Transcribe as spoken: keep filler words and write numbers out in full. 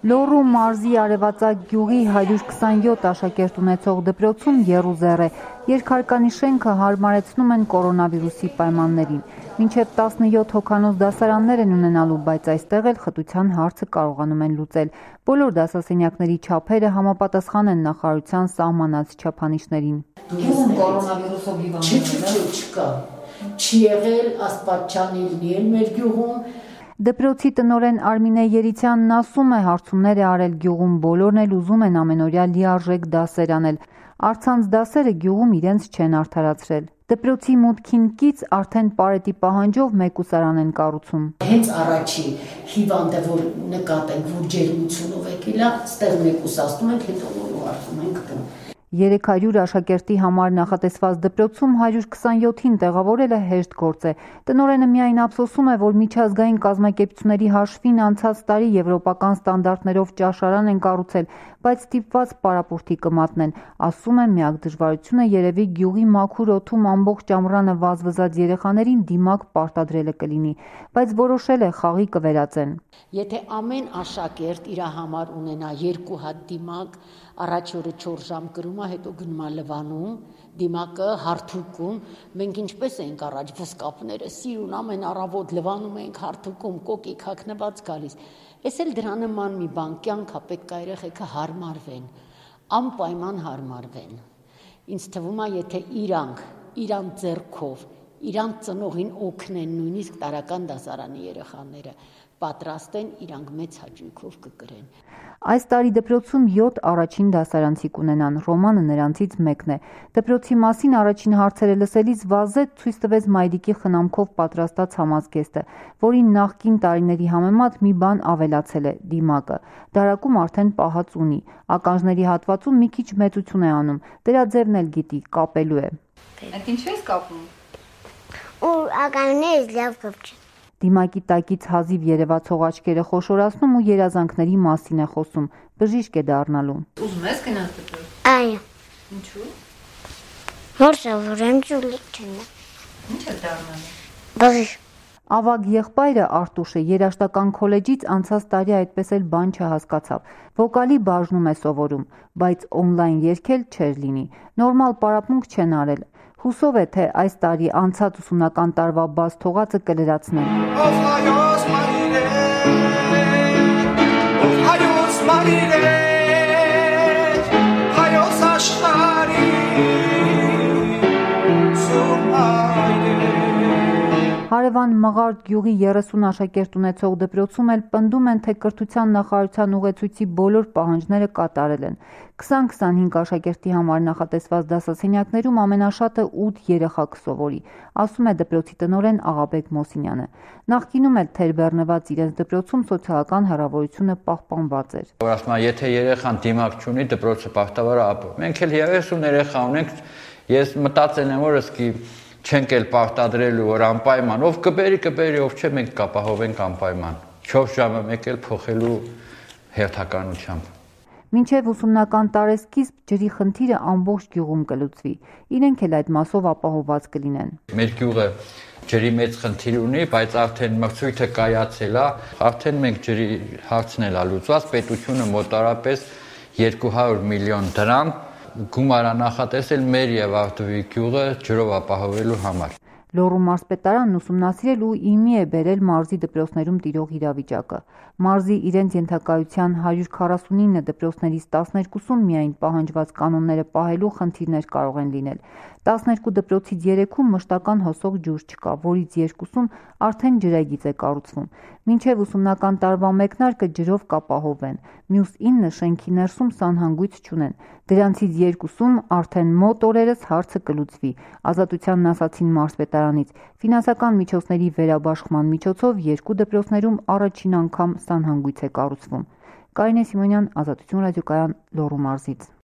Լոռու մարզի Արևածագ գյուղի հարյուր քսանյոթ աշակերտ ունեցող դպրոցում եռուզեռ է, երկհարկանի շենքը հարմարեցնում են կորոնավիրուսի պայմաններին։ Մինչև տասնյոթ հոգանոց դասարաններ են ունենալու, բայց այստեղ էլ խտության հարցը կարողանում են լուծել։ Բոլոր դասասենյակների չափերը համապատասխան են նախարարության սահմանած չափանիշներին։ Գյուղում կորոնավիրուսով հիվանդներ չկա, չի եղել, աստվածչան լինի մեր գյուղում։ Դպրոցի տնօրեն Արմինե Երիցյանն ասում է, հարցումներ է արել գյուղում, բոլորն էլ ուզում են ամենօրյա լիարժեք դասեր անել։ Առցանց դասերը գյուղում իրենց չեն արդարացրել։ Դպրոցի մուտքին կից արդեն պարետի պահանջով մեկուսարան են կառուցում։ Հենց առաջի հիվանդը, որ նկատենք, որ ջերմությունով եկել է, ստեղ մեկուսացնում ենք, հետո որ ուղարկում ենք տուն։ երեք հարյուր աշակերտի համար նախատեսված դպրոցում հարյուր քսանյոթին տեղավորելը հեշտ գործ է։ Տնօրենը միայն ափսոսում է, որ միջազգային կազմակերպությունների հաշվին անցած տարի եվրոպական ստանդարտներով ճաշարան են կառուցել, բայց ստիպված պարապուրտի կմատնեն։ Ասում է, միակ դժվարությունը երևի գյուղի մաքուր օդում ամբողջ ամռանը վազվզած երեխաներին դիմակ պարտադրելը կլինի, բայց որոշել է խաղի կվերածեն։ Եթե ամեն աշակերտ իր համար ունենա երկու հատ դիմակ, առաջ օրը չորս ժամ կրում է, հետո գնում է լվանում, դիմակը հարթուկում, մենք ինչպես ենք առաջ վսկապները սիրուն ամեն առավոտ լվանում ենք, հարթուկում կոկիկ հագնված գալիս։ Էս էլ դրա նման մի բան կյանքա պետք է երեխեքը հարմարվեն, անպայման հարմարվեն։ Ինձ թվում է, եթե իրանք իրան ձեռքով, իրան ծնողին օգնեն, նույնիսկ տարական դասարանի երեխաները պատրաստ են, իրանք մեծ հաճույքով կկրեն։ Այս տարի դպրոցում յոթ առաջին դասարանցի կունենան, Ռոմանը նրանցից մեկն է։ Դպրոցի մասին առաջին հարցերը լսելիս Վազեթ ցույց տվեց մայրիկի խնամքով պատրաստած համազգեստը, որին նախկին տարիների համեմատ մի բան ավելացել է՝ դիմակը։ Դարակում արդեն պահած ունի, ականջների հատվածում մի քիչ մեծություն է անում, դրա ձևն էլ գիտի, կապելու է։ Այդ ինչու ես կապում։ Ու ականջներս լավ կապչեն։ Դիմակի տակից հազիվ երևացող աչքերը խոշորացնում ու երազանքների մասին է խոսում, բժիշկ է դառնալու։ Ուզում ես գնալ դպրոց։ Այո։ Ինչու։ Որ սովորեմ ճուլիկ չնա։ Ինչ է դառնալու։ Բժիշկ։ Ավագ եղբայրը Արտուշը երաշտական քոլեջից անցած տարի այդպես էլ բան չհասկացավ։ Վոկալի բաժնում է սովորում, բայց օնլայն երգել չէր լինի։ Նորմալ պարապմունք չեն արել։ Հուսով է, թե այս տարի անցած ուսումնական տարվա բաց թողածը կլրացնեն։ Ով հայոց մայրեր, ով հայոց մայրեր, հայոց աշխարհի Հարևան Մղարդ գյուղի երեսուն աշակերտ ունեցող դպրոցում էլ պնդում են, թե կրթության նախարարության ուղեցույցի բոլոր պահանջները կատարել են։ քսան քսանհինգ աշակերտի համար նախատեսված դասասենյակներում ամենաշատը ութ երեխա կսովորի, ասում է դպրոցի տնօրեն Աղաբեկ Մոսինյանը։ Նախկինում էլ թերբեռնված իրենց դպրոցում սոցիալական հեռավորությունը պահպանված էր։ Որ ասում է, եթե երեխան դիմակ չունի, դպրոցը բախտավոր է ապրում։ Մենք էլ երեսուն երեխա ունենք, ես մտածել եմ, որ ըսկի չենք էլ պարտադրելու, որ անպայման, ով կբերի, կբերի, ով չէ, մենք կապահովենք անպայման։ չորս ժամը մեկ էլ փոխելու հերթականությամբ։ Մինչև ուսումնական տարեսկիզբ ջրի խնդիրը ամբողջ գյուղում կլուծվի, իրենք էլ այդ մասով ապահովված կլինեն։ Մեր գյուղը ջրի մեծ խնդիր ունի, բայց արդեն մրցույթը կայացել է, արդեն մենք ջրի հարցն էլ լուծված, պետությունը մոտարապես երկու հարյուր միլիոն դրամ գումար է նախատեսել մեր եւ Արտուի գյուղը ջրով ապահովելու համար։ Լոռու մարզպետարանն ուսումնասիրել ու իմի է բերել մարզի դպրոցներում տիրող իրավիճակը։ Մարզի իրենց ենթակայության հարյուր քառասունինը դպրոցներից տասներկուսում միայն պահանջված կանոնները պահելու խնդիրներ կարող են լինել։ տասներկու դպրոցից երեքում մշտական հոսող ջուր չկա, որից երկուսում արդեն ջրագիծ է կառուցվում։ Մինչև ուսումնական տարվա մեկնարկը ջրով կապահովեն, մյուս ինը շենքի ներսում սանհանգույց չունեն։ Դրանցից երկուսում արդեն մոտ օրերս հարցը կլուծվի, Ազատությանն ասացին մարզպետարանից։ Ֆինանսական միջոցների վերաբաշխման միջոցով երկու դպրոցներում առաջին անգամ սանհանգույց է կառուցվում։ Կարինե Սիմոնյան, Ազատություն ռադիոկայան, Լոռու մարզից։